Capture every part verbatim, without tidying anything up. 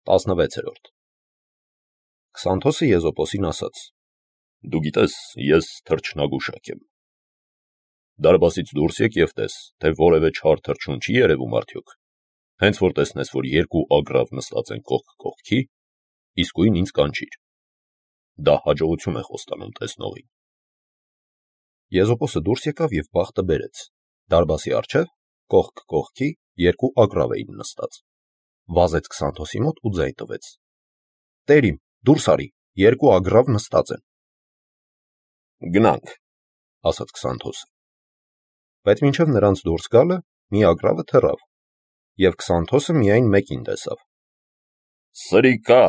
տասնվեցերորդ Քսանթոսը Եզոպոսին ասաց. Դու գիտես, ես թռչնագուշակ եմ։ Դարպասից դուրս եկ և տես, թե որևէ չար թռչուն չի երևում արդյոք։ Հենց որ տեսնես, որ երկու ագռավ նստած են կողք կողքի, իսկույն ինձ կանչիր։ Դա հաջողություն է խոստանում տեսնողին։ Եզոպոսը դուրս եկավ և բախտը բերեց։ Դարպասի առջև, կողք կողքի, երկու ագռավ էին նստած։ Վազեց Քսանթոսի մոտ ու ձայն տվեց. Տեր իմ, դուրս արի, երկու ագռավ նստած են։ Գնանք, ասաց Քսանթոսը։ Բայց մինչև նրանց դուրս գալը մի ագռավը թռավ, և Քսանթոսը միայն մեկին տեսավ։ Սրիկա,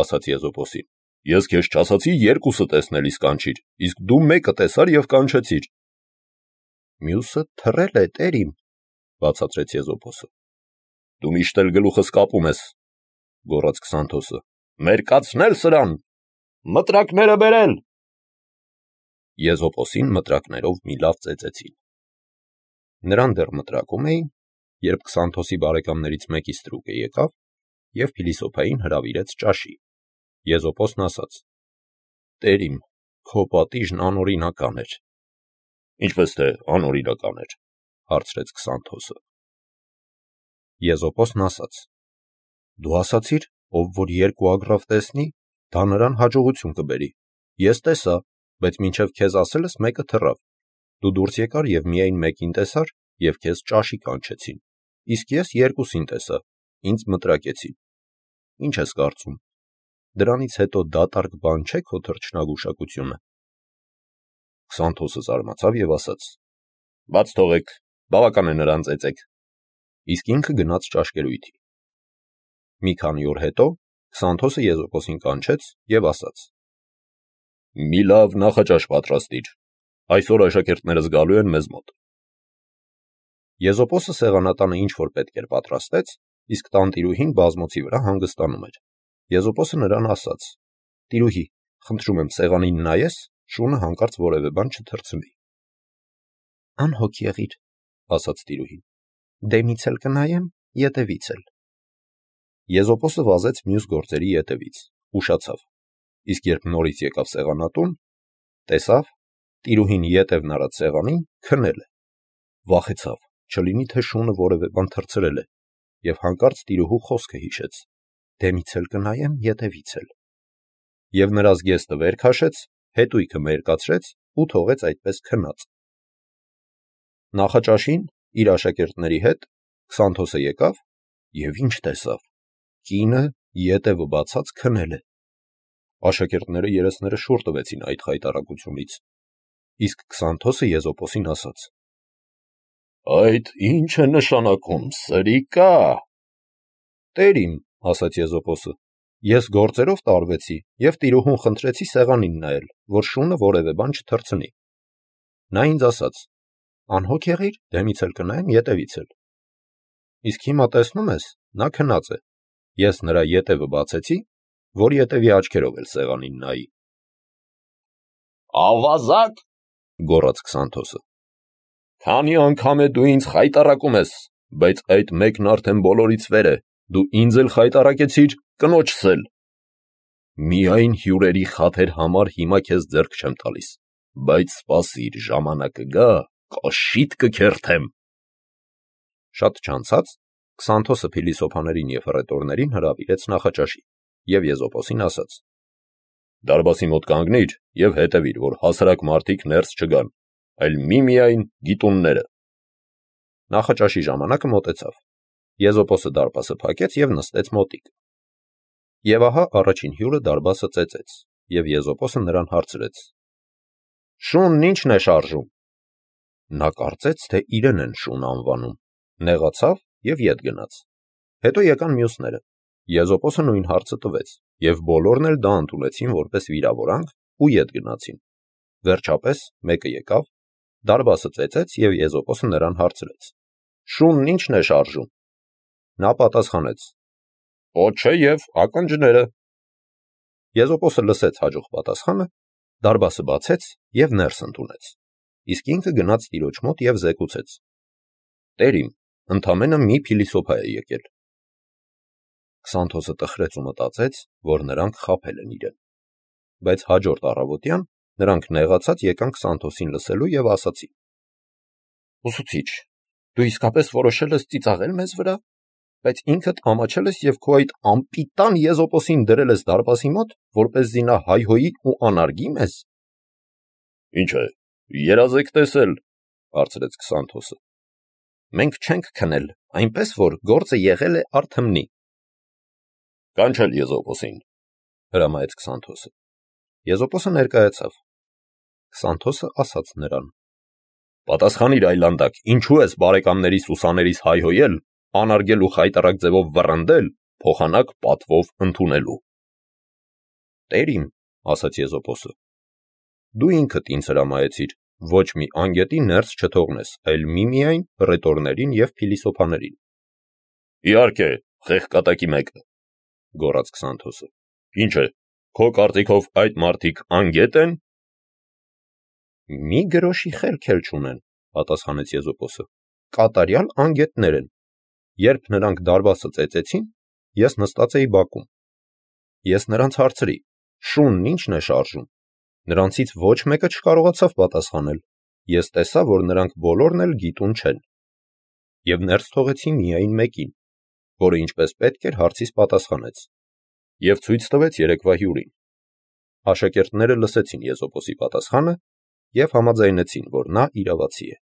ասաց Եզոպոսին, ես քեզ չասացի երկուսը տեսնելիս կանչիր, իսկ դու մեկը տեսար և կանչեցիր։ Մյուսը թռել է, տեր իմ, բացատրեց Եզոպոսը։ Դու միշտ էլ գլուխս կապում ես, գոռաց Քսանթոսը։ Մերկացնել սրան, մտրակները բերել։ Եզոպոսին մտրակներով մի լավ ծեծեցին։ Նրան դեռ մտրակում էին, երբ Քսանթոսի բարեկամներից մեկի ստրուկը եկավ և փիլիսոփային հրավիրեց ճաշի։ Եզոպոսն ասաց. Տեր իմ, քո պատիժն անօրինական էր։ Ինչպես թե անօրինական էր, հարցրեց Քսանթոսը։ Եզոպոսն ասաց. Դու ասացիր, ով որ երկու ագռավ տեսնի, դա նրան հաջողություն կբերի։ Ես տեսա, բայց մինչև քեզ ասելս մեկը թռավ։ Դու դուրս եկար և միայն մեկին տեսար, և քեզ ճաշի կանչեցին, իսկ ես երկուսին տեսա, ինձ մտրակեցին։ Ինչ ես կարծում, դրանից հետո դատարկ բան չէ քո թռչնագուշակությունը։ Քսանթոսը զարմացավ և ասաց. Բաց թողեք, բավական է նրան ծեծեք։ Իսկ ինքը գնաց ճաշկերույթի։ Մի քանի օր հետո Քսանթոսը Եզոպոսին կանչեց և ասաց. Մի լավ նախաճաշ պատրաստիր, այսօր աշակերտներս գալու են մեզ մոտ։ Եզոպոսը սեղանատանը ինչ-որ պետք էր պատրաստեց, իսկ տանտիրուհին բազմոցի վրա հանգստանում էր։ Եզոպոսը նրան ասաց. Տիրուհի, խնդրում եմ սեղանին նայես, շունը հանկարծ որևէ բան չթռցնի։ Անհոգ եղիր, ասաց տիրուհին, դեմից էլ կնայեմ, ետևից էլ։ Եզոպոսը վազեց մյուս գործերի ետևից, ուշացավ, իսկ երբ նորից եկավ սեղանատուն, տեսավ, տիրուհին ետևն արած սեղանին քնել է։ Վախեցավ, չլինի թե շունը որևէ բան թռցրել է, և հանկարծ տիրուհու խոսքը հիշեց. դեմից էլ կնայեմ, ետևից էլ։ Եվ նրա զգեստը վեր քաշեց, հետույքը մերկացրեց ու թողեց այդպես քնած։ Նախաճաշին իր աշակերտների հետ Քսանթոսը եկավ և ինչ տեսավ. կինը ետևը բացած քնել է։ Աշակերտները երեսները շուռ տվեցին այդ խայտառակությունից, իսկ Քսանթոսը Եզոպոսին ասաց. Այդ ի՞նչ է նշանակում, սրիկա։ Տեր իմ, ասաց Եզոպոսը, ես գործերով տարվեցի և տիրուհուն խնդրեցի սեղանին նայել, որ շունը որևէ բան չթռցնի։ Նա ինձ ասաց. անհոգ եղիր, դեմից էլ կնայեմ, ետևից էլ։ Իսկ հիմա տեսնում ես, նա քնած է։ Ես նրա ետևը բացեցի, որ ետևի աչքերով էլ սեղանին նայի։ Ավազակ, գոռաց Քսանթոսը, քանի անգամ է դու ինձ խայտառակում ես, բայց այդ մեկն արդեն բոլորից վեր է, դու ինձ էլ խայտառակեցիր, կնոջս էլ։ Միայն հյուրերի խաթեր համար հիմա քեզ ձեռք չեմ տալիս, բայց սպասիր, ժամանակը գա, կոշիդ կքերթեմ։ Շատ չանցած Քսանթոսը փիլիսոփաներին և հռետորներին հրավիրեց նախաճաշի և Եզոպոսին ասաց. Դարպասի մոտ կանգնիր և հետևիր, որ հասարակ մարդիկ ներս չգան, այլ միմիայն գիտունները։ Նախաճաշի ժամանակը մոտեցավ։ Եզոպոսը դարպասը փակեց և նստեց մոտիկ։ Եվ ահա առաջին հյուրը դարպասը ծեծեց, և Եզոպոսը նրան հարցրեց. Շունն ի՞նչն է շարժում։ Նա կարծեց, թե իրեն են շուն անվանում, նեղացավ և ետ գնաց։ Հետո եկան մյուսները։ Եզոպոսը նույն հարցը տվեց, և բոլորն էլ դա ընդունեցին որպես վիրավորանք ու ետ գնացին։ Վերջապես մեկը եկավ, դարպասը ծեծեց և Եզոպոսը նրան հարցրեց. Շունն ի՞նչն է շարժում։ Նա պատասխանեց. Պոչը և ակնճները։ Եզոպոսը լսեց հաջող պատասխանը, դարպասը բացեց և ներս ընդունեց, իսկ ինքը գնաց տիրոջ մոտ և զեկուցեց. Տեր իմ, ընդամենը մի փիլիսոփա է եկել։ Քսանթոսը տխրեց ու մտածեց, որ նրանք խաբել են իրեն։ Բայց հաջորդ առավոտյան նրանք նեղացած եկան Քսանթոսին լսելու և ասացին. «Ուսուցիչ, դու իսկապես որոշել ես ծիծաղել մեզ վրա, բայց ինքդ ամաչել ես և քո այդ անպիտան Եզոպոսին դրել ես դարպասի մոտ, որպեսզի նա հայհոյի ու անարգի մեզ»։ «Ինչ է, երազ եք տեսել», հարցրեց Քսանթոսը։ «Մենք չենք քնել, այնպես որ գործը եղել է արթմնի»։ «Կանչել Եզոպոսին», հրամայեց Քսանթոսը։ Եզոպոսը ներկայացավ։ Քսանթոսը ասաց նրան. «Պատասխանիր այլանդակ, ինչու ես բարեկամներիս ուսաներիս հայհոյել, անարգել ու խայտառակ ձևով վռնդել, փոխանակ պատվով ընդունելու»։ «Տեր իմ», ասաց Եզոպոսը, «դու ինքդ ինձ հրամայեցիր ոչ մի անգետի ներս չթողնես, այլ միմիայն հռետորներին և փիլիսոփաներին»։ «Իհարկե, խեղկատակի մեկը», գոռաց Քսանթոսը։ «Ինչ է, քո կարծիքով այդ մարդիկ անգե՞տ են»։ «Մի գրոշի խելք էլ չունեն», պատասխանեց Եզոպոսը, «կատարյալ անգետներ են։ Երբ նրանք դարպասը ծեծեցին, ես նստած էի բակում։ Ես նրանց հարցրի. շունն ի՞նչն է շարժում։ Նրանցից ոչ մեկը չկարողացավ պատասխանել։ Ես տեսա, որ նրանք բոլորն էլ գիտուն չեն։ Եվ ներս թողեցի միայն մեկին, որը ինչպես պետք էր հարցիս պատասխանեց, և ցույց տվեց երեկվա հյուրին։ Աշակերտները լսեցին Եզոպոսի պատասխանը և համաձայնեցին, որ նա իրավացի է։